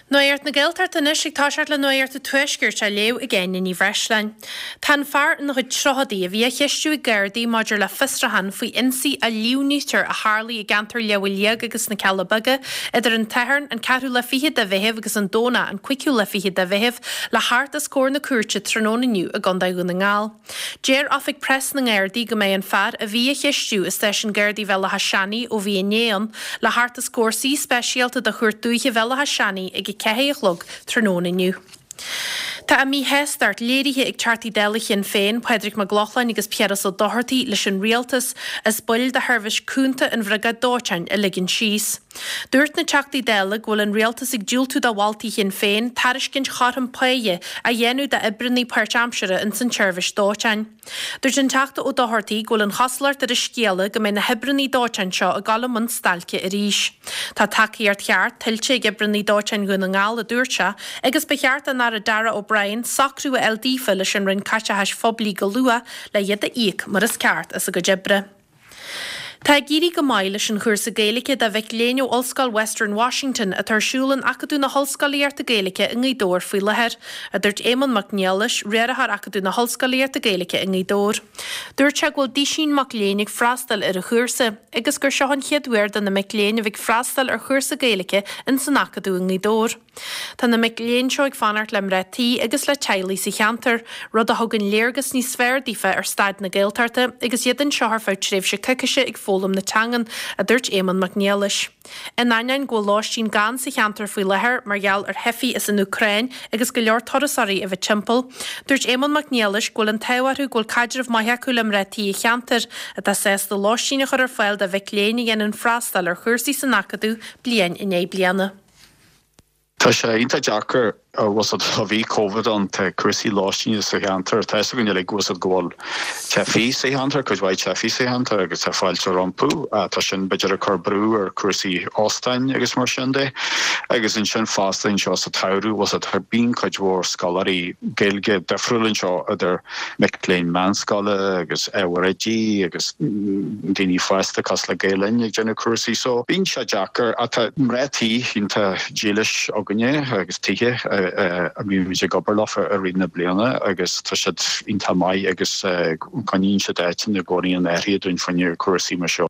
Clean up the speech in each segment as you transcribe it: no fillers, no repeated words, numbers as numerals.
Nuacht na Gaeltachta anois ag toiseacht le Nuacht an Tuaiscirt á léamh ag Áine Ní Bhreisleáin. Tá an fear ina chuid tríochadaí a bhí á cheistiú ag Gardaí maidir le fiosrúchán faoi ionsaí a líomhnaítear a tharlaigh i gceantar Leabha Liag agus na Cealla Beaga idir an tSatharn, an ceathrú lá fichead de Mheitheamh agus an Domhnach, an cúigiú lá fichead de Mheitheamh, le theacht os comhair na cúirte tráthnóna inniu i gContae Dhún na nGall. Deir Oifig Preas na nGardaí go mbeidh an fear a bhí á cheistiú i Stáisiún Gardaí Bhéal Átha Seanaidh ó bhí inné ann, le theacht os comhair suí speisialta de Chúirt Dúiche Bhéal Átha Seanaidh ag 4 a chlog tráthnóna inniu. Tá a míshástacht léirithe ag Teachtaí Dála Shinn Féin, Pádraig Mac Lochlainn agus Piaras Ó Dochartaigh leis an Rialtas as baill de sheirbhís cúnta an Bhriogáid Dóiteáin a ligean síos. Dúirt na Teachtaí Dála go bhfuil an Rialtas ag diúltú do mholtaí Shinn Féin tairiscint chothrom páighe a dhéanamh d'oibreannaí páirtaimseartha ins an tseirbhís dóiteáin. Dúirt an Teachta Ó Dochartaigh go bhfuil an chosúlacht ar an scéala go mbeidh na hoibreannaí dóiteáin seo ag dul i mbun stailce arís. Tá tacaíocht cheart tuillte ag oibreannaí dóiteáin Dhún na nGall, a dúirt sé, agus ba cheart don Aire Darragh O'Brien socrú a fháil daofa leis an Roinn Caiteachais Phoiblí go luath le iad a íoc mar is ceart as a gcuid oibre. Tá ag éirí go maith leis an chúrsa Gaeilge do mhic léinn ó Ollscoil Western Washington atá ar siúl in Acadamh na hOllscolaíochta Gaeilge i nGaoth Dobhair faoi láthair, a dúirt Éamonn Mac Niallais, Riarthóir Acadamh na hOllscolaíochta Gaeilge i nGaoth Dobhair. Dúirt sé go bhfuil duisín mac léinn ag freastal ar an chúrsa agus gur seo an chéad uair do na mic léinn a bheith ag freastal ar chúrsa Gaeilge ins an Acadamh i nGaoth Dobhair. Tá na mic léinn seo ag fanacht le mná tí agus le teaghlaigh sa cheantar, rud a thugann léargas níos fearr daofa ar staid na Gaeltachta agus iad anseo ar feadh tréimhse coicíse ag foghlaim na teangan, a dúirt Éamonn Mac Niallais. In ainneoin go bhfuil lóistín gann sa cheantar faoi láthair mar gheall ar theifigh as an Úcráin agus go leor turasóirí a bheith timpeall, dúirt Éamonn Mac Niallais go bhfuil an t-ádh orthu go bhfuil caidreamh maith acu le mná tí an cheantair, atá sásta lóistín a chur ar fáil do mhic léinn a dhéanann freastal ar chúrsaí san Acadamh bliain i ndiaidh bliana. Tá sé iontach deacair, bhfuil 's a'd, ó bhí Covid ann, tá cúrsaí lóistíne sa cheantar, tá fhios againn uilig, bhfuil 's a'd, go bhfuil teifigh sa cheantar, cuid mhaith teifigh sa cheantar agus tá fáilte rompu, tá sin b'fhéidir ag cur brú ar chúrsaí óstáin agus mar sin de. Agus ansin fosta anseo sa tsamhradh, bhfuil 's a'd, bíonn cuid mhór scoláirí Gaeilge difriúil anseo idir mic léinn meánscoile agus ábhair oidí agus daoine fásta cosúil le Gael Linn ag déanamh cúrsaí so bíonn sé deacair ach tá mná tí iontach dílis againne agus tithe a mbímid ag obair leo i rith na bliana agus tá siad iontach maith agus coinníonn siad áiteanna i gcónaí in áirithe dúinn fá choinne cúrsaí mar seo.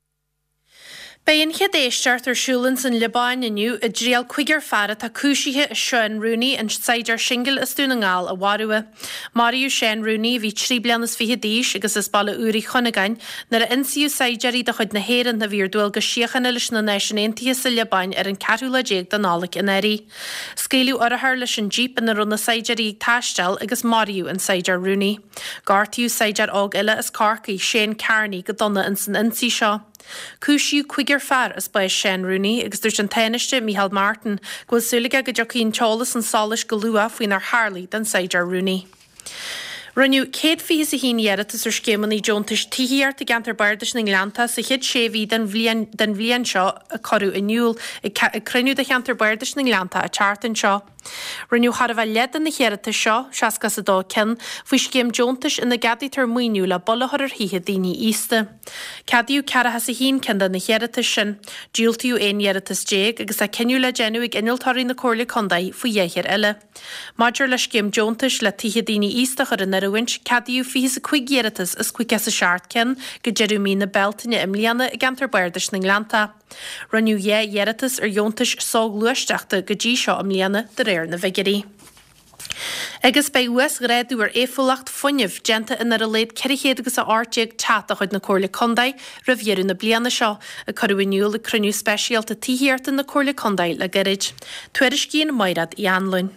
Beidh an chéad éisteacht ar siúl ins an Liobáin inniu i dtriail cúigear fear atá cúisithe as Seán Rooney, an saighdiúir singil as Dún na nGall, a mharú. Maraíodh Seán Rooney, a bhí 23 bliana d'aois agus as Baile Úr Uí Chuinneagáin, nuair a ionsaíodh saighdiúirí de chuid na hÉireann a bhí ar dualgas síochána leis na Náisiúin Aontaithe sa Liobáin ar an ceathrú lá déag de Nollaig anuraidh. Scaoileadh urchar leis an jíp ina raibh na saighdiúirí ag taisteal agus maraíodh an saighdiúir Rooney. Gortaíodh saighdiúir óg eile as Corcaigh, Shane Kearney, go dona ins an ionsaí seo. Cúisíodh cúigear fear as bás Seán Rooney agus dúirt an Tánaiste, Micheál Martin, go bhfuil súil aige go dtiocfaidh an t-eolas chun solais go luath faoinar tharlaigh don saighdiúir Rooney. Rinneadh 121 iarratas ar scéimeanna deontais tithíochta i gceantar Bardais na nGleanntach sa chéad sé mhí den bhliain den bhliain seo a cuireadh in iúl ag cruinniú de cheantar Bardais na nGleanntach an tseachtain seo. Rinneadh chóir a bheith leath de na hiarratais seo, 62 ceann, faoi scéim deontais ina gceadaítear maoiniú le bol a chur ar thithe daoine aosta. Ceadaíodh 41 ceann de na hiarratais sin. Diúltaíodh 11 iarratas agus tá cinneadh le déanamh ag innealtóirí na Comhairle Contae faoi dheich eile. Maidir le scéim deontais le tithe daoine aosta a chur in oiriúint, ceadaíodh 25 iarratas as 57 ceann go deireadh mí na Bealtaine i mbliana i gceantar Bardais na nGleanntach. Rinneadh 2 iarratas ar dheontais soghluaisteachta go dtí seo i mbliana, de réir na bhfigiúirí. Agus beidh uasghrádú ar éifeachtúlacht fuinnimh déanta in ar a laghad 400 agus 18 teach de chuid na Comhairle Contae roimh dheireadh na bliana seo, a cuireadh in iúl ag cruinniú speisialta tithíochta na Comhairle Contae le gairid. Tuairiscíonn Maighread Uí Anluain.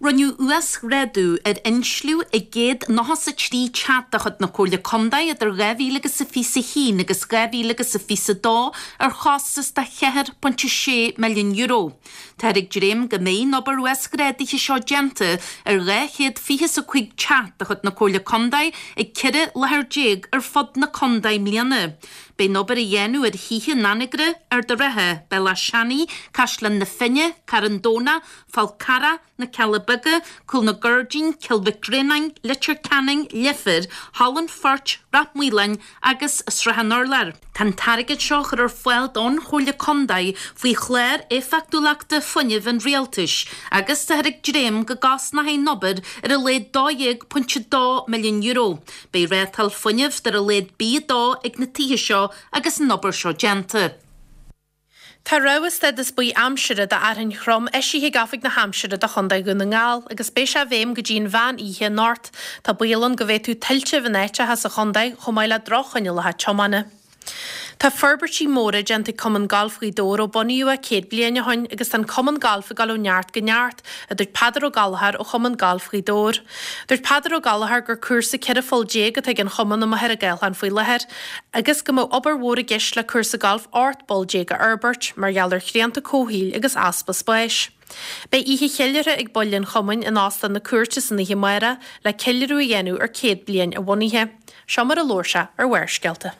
Rinneadh uasghrádú ar insliú i 193 teach de chuid na Comhairle Contae idir 2000 agus a 21 agus 2000 agus a 22 ar chostas de €4.6 milliún. Táthar ag dréim go mbeidh an obair uasghrádaithe seo déanta ar 225 teach de chuid na Comhairle Contae ag 14 láthair ar fud na contae i mbliana. Beidh an obair á dhéanamh ar thithe in Anagaire, Ard an Rátha, Bealach Seanaidh, Caisleán na Finne, Carn Domhnach, Fál Carrach, Na Cealla Beaga, Cúl na gCuirdín, Cill Mhic Réanáin, Leitir Ceanainn, Leifear, Halla an Phoirt, Rath Maoláin agus Srath an Urláir. Tá an t-airgead seo á chur ar fáil don Chomhairle Contae faoi Chlár Éifeachtúlachta Fuinnimh an Rialtais agus táthar ag dréim go gcosnóidh an obair ar a laghad €12.2 milliún. Beidh rátáil fuinnimh d'ar a laghad B2 ag na tithe seo agus an obair seo déanta. Tá rabhadh stádas buí aimsire do fhearthainn throm eisithe ag Oifig na hAimsire do Chontae Dhún na nGall agus beidh sé i bhfeidhm go dtí an mheán oíche anocht. Tá baol ann go bhféadfadh tuilte a bheith in áiteacha sa chontae chomh maith le droch-choinníollacha tiomána. Tá forbairtí móra déanta ag Cumann Gailf Ghaoth Dobhair ó bunaíodh é 100 bliain ó shoin agus tá an Cumann Gailf ag dul ó neart go neart, a dúirt Peadar Ó Gallchóir ó Chumann Gailf Ghaoth Dobhair. Dúirt Peadar Ó Gallchóir gur cúrsa 14 pholl atá ag an chumann amuigh ar an gCaolchán faoi láthair agus go mbeadh obair mhór i gceist le cúrsa gailf 18 bpoll a fhorbairt mar gheall ar shrianta comhshaoil agus easpa spáis. Beidh oíche cheiliúrtha ag baill an chumainn in Óstán na Cúirte san oíche amárach le ceiliúradh a dhéanamh ar 100 bliain a bhunaithe. Seo mar a labhair sé ar Bharrscéalta.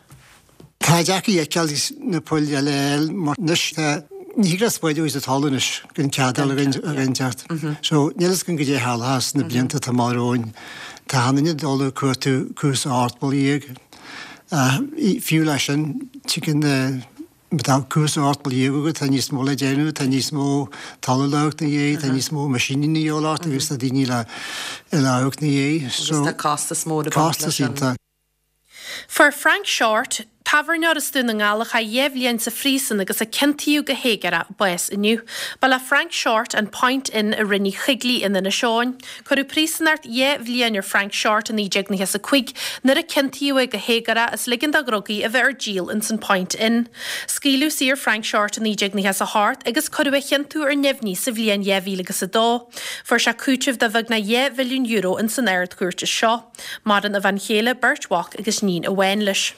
Tá deacair a fheiceáil na poill eile a fháil mar anois tá, ní thig leat spáid a úsáid sa talamh anois gan cead a fháil ó dhuine inteacht. So níl fhios againn goidé a tharlóchas sna blianta atá amach romhainn. Tá achan duine ag dul ag cuartú cúrsa 18 bpoll. Fiú leis sin, tuigeann na, má tá cúrsa 18 bpoll agat tá níos mó le déanamh, tá níos mó talamh le amharc 'na dhiaidh, tá níos mó meaisíní a dhíobháil ort agus tá daoine le le amharc 'na dhiaidh. Agus tá costas mór ag baint leis sin. Costas iontach. Fuair Frank Shortt, tábhairneoir as Dún na nGall a chaith 2 bhliain sa phríosún agus a ciontaíodh go héagórach, bás inniu. Ba le Frank Shortt an Point Inn i Rinn Uí Choigligh in Inis Eoghain. Cuireadh príosúnacht 2 bhliain ar Frank Shortt i 1995 nuair a ciontaíodh é go héagórach as ligean do dhrugaí a bheith ar díol ins an Point Inn. Scaoileadh saor Frank Shortt i 1998 agus cuireadh a chiontú ar neamhní sa bhliain 2002. Fuair sé cúiteamh de bheagnach €2 mhilliún ins an Ard-Chúirt as seo. Maireann a bhean chéile, beirt mhac agus níon amháin leis.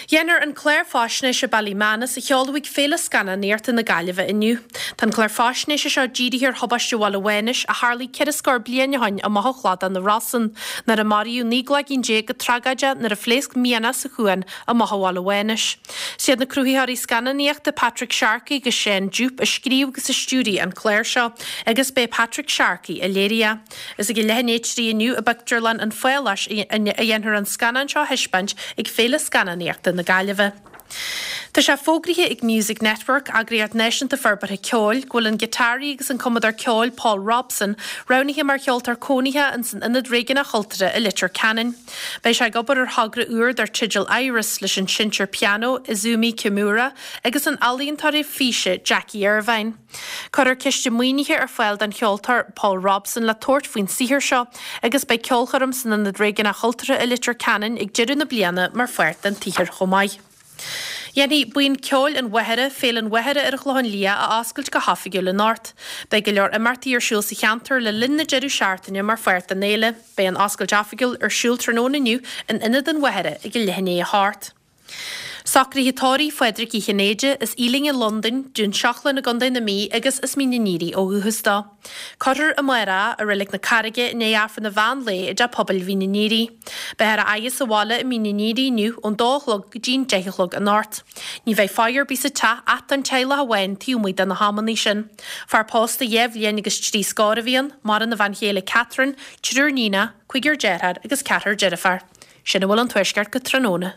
Dhéanfar an clár faisnéise Ballymanus a sheoladh ag Féile Scannánaíochta na Gaillimhe inniu. Tá an clár faisnéise seo dírithe ar thubaiste Bhaile Mhánais a tharlaigh 4 scór bliain ó shoin amach ó chladach na Rosann, nuair a maraíodh 19 gcloigín go tragóideach nuair a phléasc mianach sa chuan amach ó Bhaile Mhánais. Is iad na cruthaitheoirí scannánaíochta Patrick Sharkey agus Seán Jupe a scríobh agus a stiúraigh an clár seo agus b'é Patrick Sharkey a léirigh é. Is ag a leath i ndiaidh 3 inniu i bPictiúrlann an Pháláis a dhéanfar an scannán seo a thaispeáint ag Féile Scannánaíochta na Gaillimhe. Tá sé fógraithe ag Music Network, eagraíocht náisiúnta forbartha ceoil, go bhfuil an giotáraí agus an cumadóir ceoil Paul Robson roghnaithe mar cheoltóir cónaithe ins an Ionad Réigiúnach Chultúrtha i Leitir Ceanainn. Beidh sé ag obair ar thogra úr dar teideal Iris leis an seinnteoir pianó Izumi Kimura agus an ealaíontóir físe Jackie Irvine. Cuirfear ciste maoinithe ar fáil don cheoltóir Paul Robson le tabhairt faoin saothar seo agus beidh ceolchoirm san Ionad Réigiúnach Chultúrtha i Leitir Ceanainn ag deireadh na bliana mar pháirt den tsaothar chomh maith. Dhéanfaidh Buíon Ceoil an Mhachaire, Féile an Mhachaire ar an Chlochán Liath a oscailt go hoifigiúil anocht. Beidh go leor imeachtaí ar siúl sa cheantar le linn na deireadh seachtaine mar pháirt den fhéile. Beidh an oscailt oifigiúil ar siúl tráthnóna inniu in Ionad an Mhachaire ag a leath i ndiaidh a hocht. Socruithe tórraimh Phádraig Uí Chinnéide, as Ealing i Londain, Dún Seachlainn i gContae na Mí agus as Mín an Aoraigh ó dhúchas dó. Cuirfear amárach é i Reilig na Carraige i ndiaidh Aifreann an mheán lae i dTeach Pobail Mhín an Aoraigh. Beifear á fhaire sa bhaile i Mín an Aoraigh inniu ón dó a chlog go dtí an 10 a chlog anocht. Ní bheidh faire ar bith sa teach ach don teaghlach amháin taobh amuigh de na hamanna sin. Fear pósta dhá bhliain agus trí scór a bhí ann, maireann a bhean chéile Catherine, triúr níonach, cúigear deartháir agus ceathrar deirféar. Sin a bhfuil ón Tuaisceart go tráthnóna.